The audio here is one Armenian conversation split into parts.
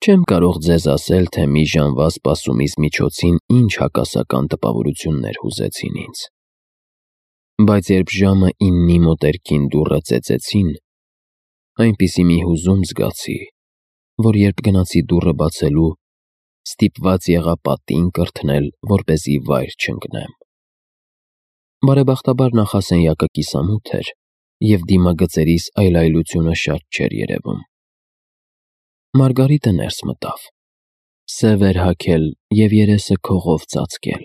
Չեմ կարող ձեզ ասել, թե մի ժամվա սպասումից միջոցին ինչ հակասական տպավորություններ հուզեցին ինձ։ Բայց երբ ժամը 9-ի մոտերքին դուռը ծեծեցին, այնպիսի մի հուզում զգացի, որ երբ գնացի դուռը բացելու, ստիպված եղա պատին կրթնել, որպեսզի վայր չընկնեմ։ Բարեբախտաբար նախասենյակը կիսամութ էր, և դիմագծերիս այլայլությունը շատ չէր երևում։ Մարգարիտը ներս մտավ, սև էր հագել և երեսը քողով ծածկել։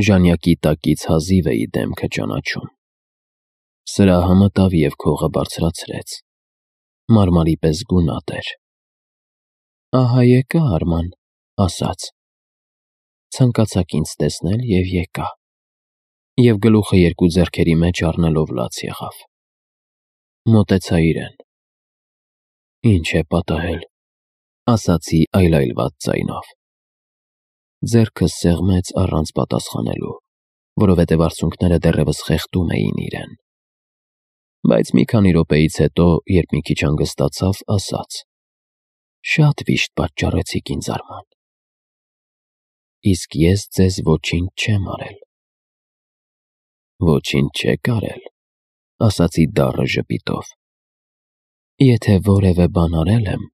Ժանյակի տակից հազիվ էի դեմքը ճանաչում։ Սրահը մտավ և քողը բարձրացրեց։ Մարմարի պես գունատ էր։ «Ահա եկա, Արման», ասաց։ Ցանկացաք ինձ տեսնել և եկա։ Եվ գլուխը երկու ձեռքերի մեջ առնելով լաց եղավ։ Մոտեցա իրեն։ «Ինչ է պատահել», ասացի այլայլված ձայնով։ Ձեռքս սեղմեց առանց պատասխանելու, որովհետև արցունքները դեռևս խեղդում էին իրեն։ Բայց մի քանի րոպեից հետո, երբ մի քիչ հանգստացավ, ասաց. «Շատ վիշտ պատճառեցիք ինձ, Արման»։ «Իսկ ես ձեզ ոչինչ չեմ արել»։ «Ոչինչ չեք արել», ասացի դառը ժպիտով։ «Եթե որևէ բան արել եմ,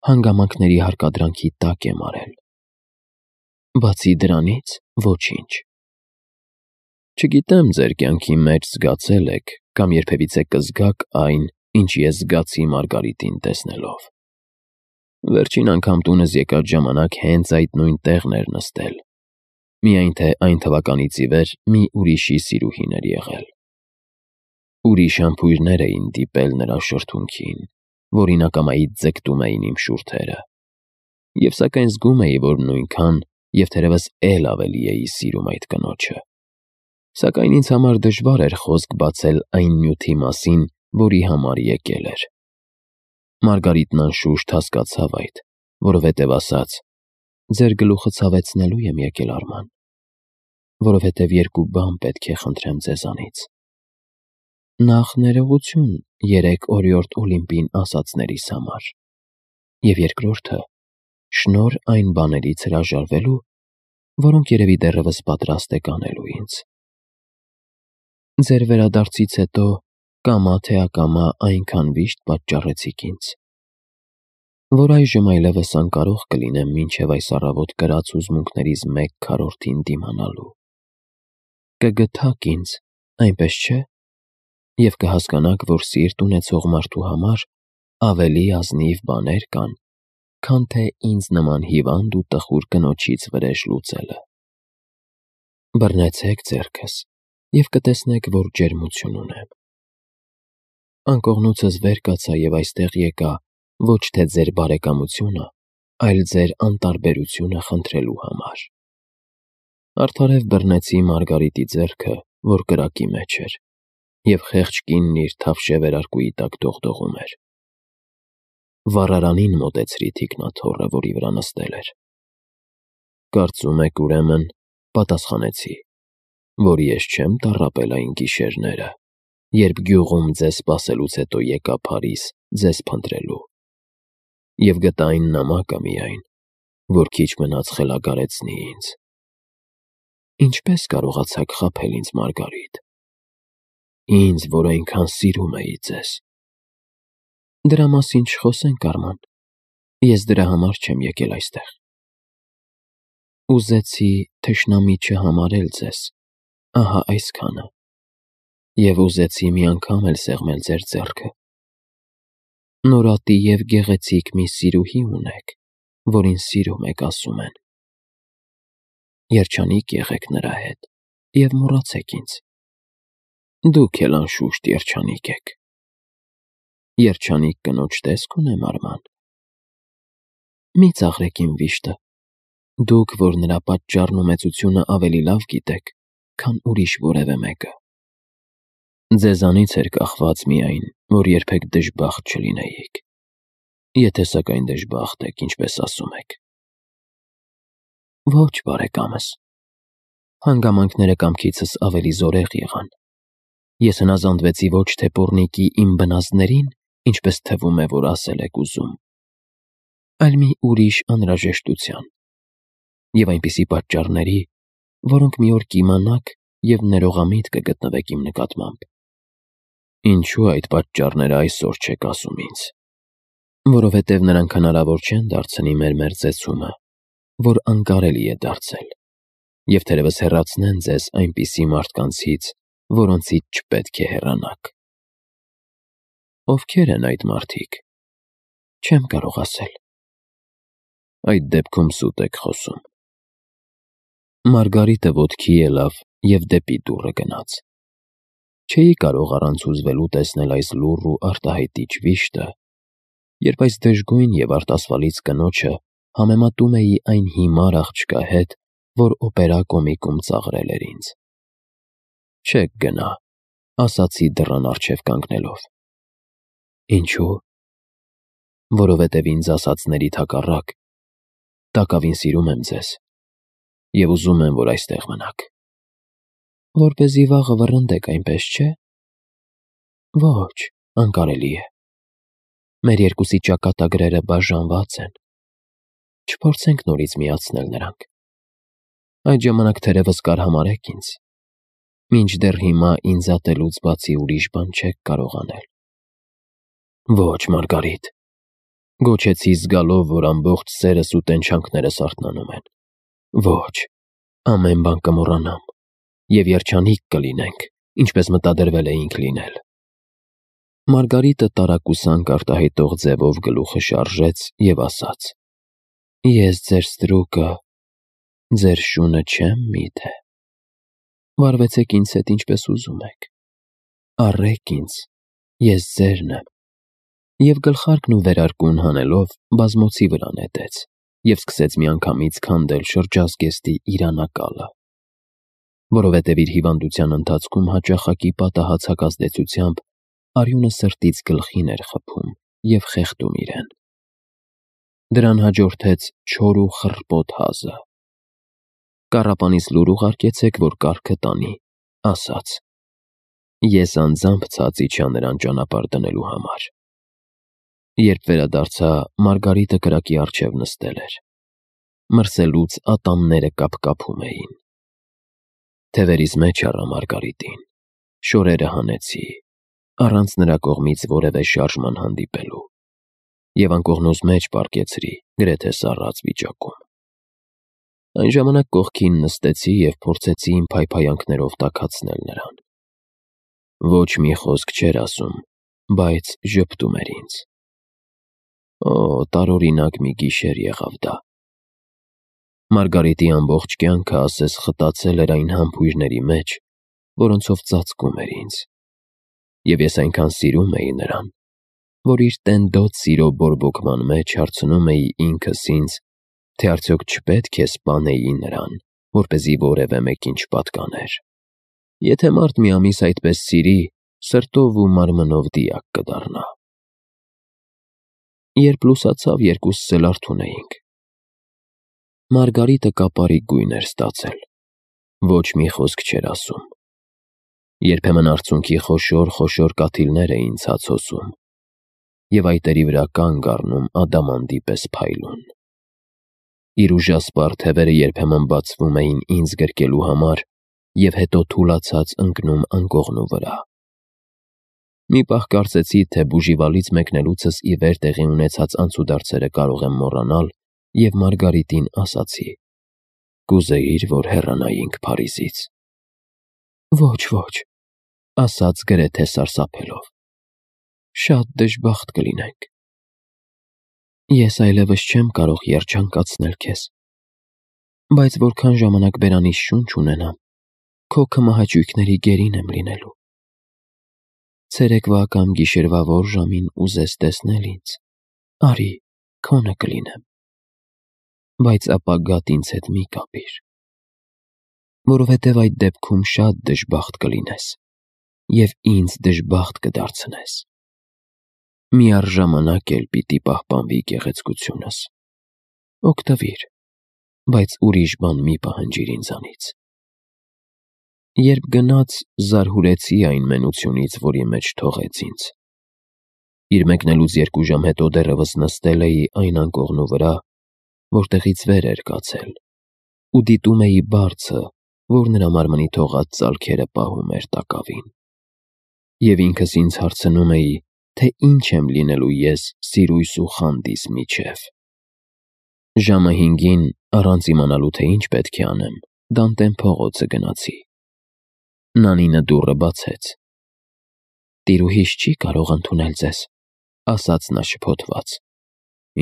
հանգամանքների հարկադրանքի տակ եմ արել։ Բացի դրանից, ոչինչ։ Չգիտեմ ձեր կյանքի մեջ զգացել եք կամ երբևիցե կզգաք այն, ինչ ես զգացի Մարգարիտին տեսնելով։ Վերջին անգամ տունս եկած ժամանակ հենց այդ նույն տեղն էր նստել, միայն թե այն թվականից ի վեր մի ուրիշի սիրուհին էր եղել։ Ուրիշ համբույրներ էին դիպել նրա շրթունքին, որին ակամայից ձգտում էին իմ շուրթերը, և սակայն զգում էի, որ նույնքան և թերևս էլ ավելի էի սիրում այդ կնոջը։ Սակայն ինձ համար դժվար էր խոսք բացել այն նյութի մասին, որի համար եկել էր։ Մարգարիտն անշուշտ հասկացավ այդ, որովհետև ասաց. «Ձեր գլուխը ցավեցնելու եմ եկել, Արման, որովհետև երկու բան պետք է խնդրեմ ձեզանից։ Նախ ներողություն 3 օրիորդ Օլիմպին ասածներիս համար, և երկրորդը՝ շնորհ այն բաներից հրաժարվելու, որոնք երևի դեռևս պատրաստ եք անելու ինձ։ Ձեր վերադարձից հետո կամա թե ակամա այնքան վիշտ պատճառեցիք ինձ, որ այժմ այլևս անկարող կլինեմ մինչև այս առավոտ կրած հուզմունքներիս 1/4-ին դիմանալու։ Կգթաք ինձ, այնպես չէ՞, և կհասկանաք, որ սիրտ ունեցող մարդու համար ավելի ազնիվ բաներ կան, քան թե ինձ նման հիվանդ ու տխուր կնոջից վրեժ լուծելը։ Բռնեցեք ձեռքս և կտեսնեք, որ ջերմություն ունեմ։ Անկողնուցս վեր կացա և այստեղ եկա ոչ թե ձեր բարեկամությունը, այլ ձեր անտարբերությունը խնդրելու համար»։ Արդարև բռնեցի Մարգարիտի ձեռքը, որ կրակի մեջ էր, և խեղճ կինն իր թավշե վերարկուի տակ դողդողում էր։ Վառարանին մոտեցրի թիկնաթոռը, որի վրա նստել էր։ «Կարծում եք, ուրեմն, պատասխանեցի, որ ես չեմ տառապել այն գիշերները, երբ գյուղում ձեզ սպասելուց հետո եկա Փարիզ ձեզ փնտրելու, և գտա այն նամակը միայն, որ քիչ մնաց խելագարեցնի ինձ։ Ինչպե՞ս կարողացաք խաբել ինձ, Մարգարիտ, ինձ, որ այնքան սիրում էի ձեզ։ Դրա մասին չխոսենք, Արման, ես դրա համար չեմ եկել այստեղ։ Ուզեցի թշնամի չհամարել ձեզ, ահա այսքանը, և ուզեցի մի անգամ էլ սեղմել ձեր ձեռքը։ Նորատի և գեղեցիկ մի սիրուհի ունեք, որին սիրում եք, ասում են։ Երջանիկ եղեք նրա հետ և մոռացեք ինձ։ Դուք էլ անշուշտ երջանիկ եք։ Երջանիկ կնոջ տեսք ունեմ, Արման։ Մի ծաղրեք իմ վիշտը, դուք, որ նրա պատճառն ու մեծությունը ավելի լավ գիտեք, քան ուրիշ որևէ մեկը։ Ձեզանից էր կախված միայն, որ երբեք դժբախտ չլինեիք, եթե սակայն դժբախտ եք, ինչպես ասում եք։ Ոչ, բարեկամս, հանգամանքները կամքիցս ավելի զորեղ եղան։ Ես հնազանդվեցի ոչ թե պոռնիկի իմ բնազդներին, ինչպես թվում է, որ ասել եք ուզում, այլ մի ուրիշ անհրաժեշտության և այնպիսի պատճառների, որոնք մի օր կիմանաք և ներողամիտ կգտնվեք իմ նկատմամբ։ Ինչու այդ պատճառները այսօր չեք ասում ինձ։ Որովհետև նրանք հնարավոր չեն դարձնի մեր մերձեցումը, որ անկարելի է դարձել, և թերևս հեռացնեն ձեզ այնպիսի մարդկանցից, որոնցից չպետք է հեռանաք։ Ովքեր են այդ մարդիկ։ Չեմ կարող ասել։ Այդ դեպքում սուտ եք խոսում։ Մարգարիտը ոտքի ելավ և դեպի դուռը գնաց։ Չէի կարող առանց հուզվելու տեսնել այս լուռ ու արտահայտիչ վիշտը, երբ այս դժգույն և արտասվալից կնոջը համեմատում էի այն հիմար աղջկա հետ, որ օպերա կոմիկում ծաղրել էր ինձ։ Չեք գնա, ասացի դռան առջև կանգնելով։ Ինչու՞։ Որովհետև ինձ ասածներիդ հակառակ, տակավին սիրում եմ ձեզ և ուզում եմ, որ այստեղ մնաք։ Որպեսզի վաղը վռնդեք, այնպես չէ՞։ Ոչ, անկարելի է։ Մեր երկուսի ճակատագրերը բաժանված են։ Չփորձենք նորից միացնել նրանք։ Այդ ժամանակ թերևս կարհամարհեք ինձ։ Մինչդեռ հիմա ինձ ատելուց բացի ուրիշ բան չեք կարող անել։ Ոչ, Մարգարիտ, գոչեցի զգալով, որ ամբողջ սերս ու տենչանքներս արթնանում են։ Ոչ, ամեն բան կմոռանամ և երջանիկ կլինենք, ինչպես մտադրվել էինք լինել։ Մարգարիտը տարակուսանք արտահայտող ձևով գլուխը շարժեց և ասաց. Ես ձեր ստրուկը, ձեր շունը չեմ միթե։ Վարվեցեք ինձ հետ ինչպես ուզում եք։ Առեք ինձ, ես ձերն եմ։ Եվ գլխարկն ու վերարկուն հանելով բազմոցի վրա նետեց և սկսեց միանգամից քանդել շրջազգեստի իր անակալը, որովհետև իր հիվանդության ընթացքում հաճախակի պատահած հակազդեցությամբ արյունը սրտից գլխին էր խփում և խեղդում իրեն։ Դրան հաջորդեց չոր ու խռպոտ հազը։ Կառապանից լուր ուղարկեցեք, որ կառքը տանի, ասաց. Ես անձամբ ցած իջա նրան ճանապարհ դնելու համար։ Երբ վերադարձա, Մարգարիտը կրակի առջև նստել էր։ Մրսելուց ատամները կապկապում էին։ Թևերիս մեջ առա Մարգարիտին, շորերը հանեցի, առանց նրա կողմից որևէ շարժման հանդիպելու, և անկողնուս մեջ պառկեցրի, գրեթե սառած վիճակում։ Այն ժամանակ կողքին նստեցի և փորձեցի իմ փայփայանքներով տաքացնել նրան։ Ոչ մի խոսք չէր ասում, բայց ժպտում էր ինձ։ Օ, տարօրինակ մի գիշեր եղավ դա։ Մարգարիտի ամբողջ կյանքը ասես խտացել էր այն համբույրների մեջ, որոնցով ծածկում էր ինձ։ Եվ ես այնքան սիրում էի նրան, որ իր տենդոտ սիրո բորբոքման մեջ հարցնում էի ինքս ինձ, թե արդյոք չպետք է սպանեի նրան, որպեսզի որևէ մեկին չպատկաներ։ Եթե մարդ մի ամիս այդպես սիրի, սրտով ու մարմնով դիակ կդառնա։ Երբ լուսացավ, երկուսս էլ արթուն էինք։ Մարգարիտը կապարի գույն էր ստացել։ Ոչ մի խոսք չէր ասում։ Երբեմն արցունքի խոշոր կաթիլներ էին ցած հոսում և այտերի վրա կանգ առնում ադամանդի պես փայլուն։ Իր ուժասպառ թևերը երբեմն բացվում էին ինձ գրկելու համար և հետո թուլացած ընկնում անկողնու վրա։ Մի պահ կարծեցի, թե բուժիվալից մեկնելուցս ի վեր տեղի ունեցած անցուդարձերը կարող եմ մոռանալ և Մարգարիտին ասացի. կուզեիր, որ հեռանայինք Փարիզից։ Ոչ, ոչ, ասաց գրեթե սարսափելով։ Շատ դժբախտ կլինենք։ Ես այլևս չեմ կարող երջանկացնել քեզ, բայց որքան ժամանակ բերանից շունչ ունենամ, քո քմահաճույքների գերին եմ լինելու։ Ցերեկվա կամ գիշերվա որ ժամին ուզես տեսնել ինձ, արի, քոնը կլինեմ, բայց ապագադ ինձ հետ մի կապիր, որովհետև այդ դեպքում շատ դժբախտ կլինես և ինձ դժբախտ կդարձնես։ Միառժամանակ էլ պիտի պահպանվի գեղեցկությունս։ Օգտվիր, բայց ուրիշ բան մի պահանջիր ինձանից։ Երբ գնաց, զարհուրեցի այն մենությունից, որի մեջ թողեց ինձ։ Իր մեկնելուց 2 ժամ հետո դեռևս նստել էի այն անկողնու վրա, որտեղից վեր էր կացել, ու դիտում էի բարձը, որ նրա մարմնի թողած ծալքերը պահում էր տակավին։ Եվ ինքս ինձ հարցնում էի, թե ինչ եմ լինելու ես սիրույս ու խանդիս միջև։ Ժամը 5-ին, առանց իմանալու թե ինչ պետք է անեմ, Դանտեն փողոցը գնացի։ Նանինը դուռը բացեց։ «Տիրուհիս չի կարող ընդունել ձեզ», ասաց նա շփոթված։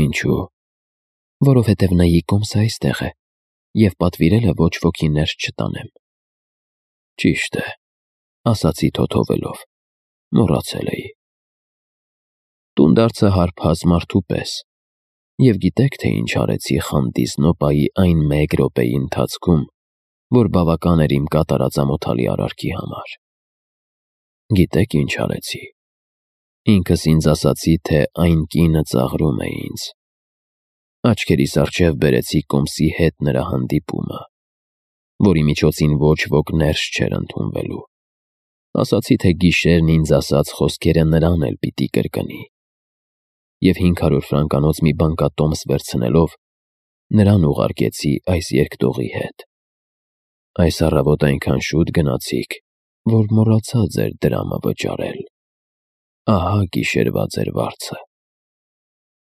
«Ինչու»։ «Որովհետև նա իկոմս այստեղ է և պատվիրել է ոչ ոքի ներս չտանեմ»։ «Ճիշտ է», ասացի թոթովելով, մոռացել էի։ Տունդարձը հարբած մարդու պես, և գիտեք, թե ինչ արեցի խանդիս նոպայի այն 1 րոպեի ընթացքում, որ բավական էր իմ կատարած ամոթալի արարքի համար։ Գիտեք ինչ արեցի։ Ինքս ինձ ասացի, թե այն կինը ծաղրում է ինձ։ Աչքերիս առջև բերեցի կոմսի հետ նրա հանդիպումը, որի միջոցին ոչ ոք ներս չէր ընդունվելու։ Ասացի, թե գիշերն ինձ ասած խոսքերը նրան էլ պիտի կրկնի։ Եվ 500 ֆրանկանոց մի բանկատոմս վերցնելով, նրան ուղարկեցի այս երկտողի հետ։ Այս առավոտ այնքան շուտ գնացիք, որ մոռացա ձեր դրամը վճարել։ Ահա գիշերվա ձեր վարձը։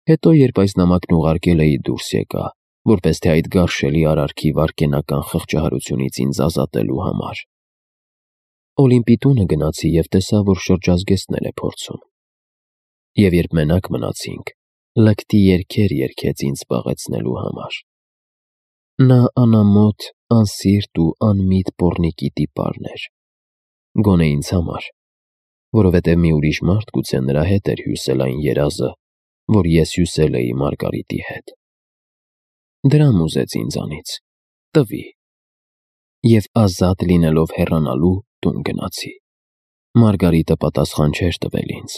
Հետո, երբ այս նամակն ուղարկել էի, դուրս եկա, որպես թե այդ գարշելի արարքի վայրկենական խղճահարությունից ինձ ազատելու համար։ Օլիմպի տունը գնացի և տեսա, որ շրջազգեստներ է փորձում։ Եվ երբ մենակ մնացինք, լկտի երգեր երգեց ինձ զբաղեցնելու համար։ Նա անամոթ, անսիրտ ու անմիտ պոռնիկի տիպարն էր, գոնե ինձ համար, որովհետև մի ուրիշ մարդ գուցե նրա հետ էր հյուսել այն երազը, որ ես հյուսել էի Մարգարիտի հետ։ Դրամ ուզեց ինձանից, տվի։ Եվ ազատ լինելով հեռանալու, տուն գնացի։ Մարգարիտը պատասխան չէր տվել ինձ։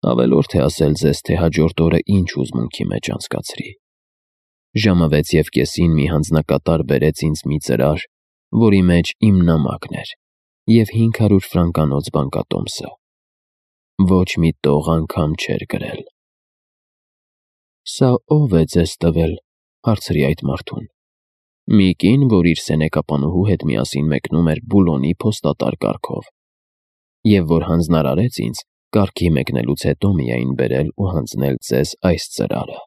Ավելորդ է ասել ձեզ, թե հաջորդ օրը ինչ հուզմունքի մեջ անցկացրի։ Ժամը 6:30-ին մի հանձնակատար բերեց ինձ մի ծրար, որի մեջ իմ նամակն էր և 500 ֆրանկանոց բանկատոմսը։ Ոչ մի տող անգամ չէր գրել։ «Սա ո՞վ է ձեզ տվել», հարցրի այդ մարդուն։ «Մի կին, որ իր սենեկապանուհու հետ միասին մեկնում էր Բուլոնի փոստատար կառքով, և որ հանձնարարեց ինձ կառքի մեկնելուց հետո միայն բերել ու հանձնել ձեզ այս ծրարը»։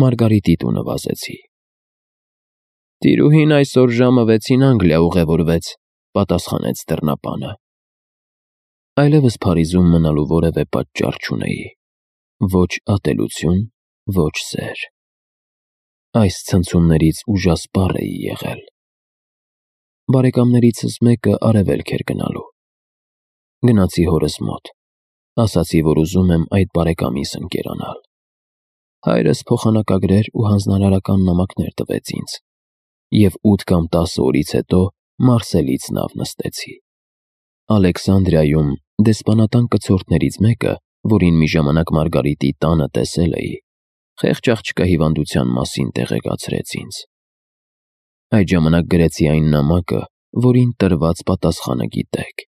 Մարգարիտի տունը վազեցի։ «Տիրուհին այսօր ժամը 6-ին Անգլիա ուղևորվեց», պատասխանեց դռնապանը։ Այլևս Փարիզում մնալու որևէ պատճառ չունեի։ Ոչ ատելություն, ոչ սեր։ Այս ցնցումներից ուժասպառ էի եղել։ Բարեկամներիցս մեկը արևելք էր գնալու։ Գնացի հորս մոտ։ Ասացի, որ ուզում եմ այդ բարեկամիս ընկերանալ։ Հայրս փոխանակագրեր ու հանձնարարական նամակներ տվեց ինձ, և 8 կամ 10 օրից հետո Մարսելից նավ նստեցի։ Ալեքսանդրիայում դեսպանատան կցորդներից մեկը, որին մի ժամանակ Մարգարիտի տանը տեսել էի, խեղճ աղջկա հիվանդության մասին տեղեկացրեց ինձ։ Այդ ժամանակ գրեցի այն նամակը, որին տրված պատասխանը գիտեք,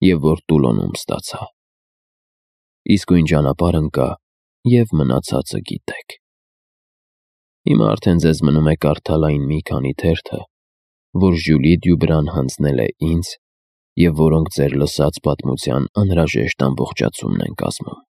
և որ Տուլոնում ստացա։ Իսկույն ճանապարհ ընկա, և մնացածը գիտեք։ Հիմա արդեն ձեզ մնում է կարդալ այն մի քանի թերթը, որ Ժյուլի Դյուբրան հանձնել է ինձ և որոնք ձեր լսած պատմության անհրաժեշտ ամբողջացումն են կազմում։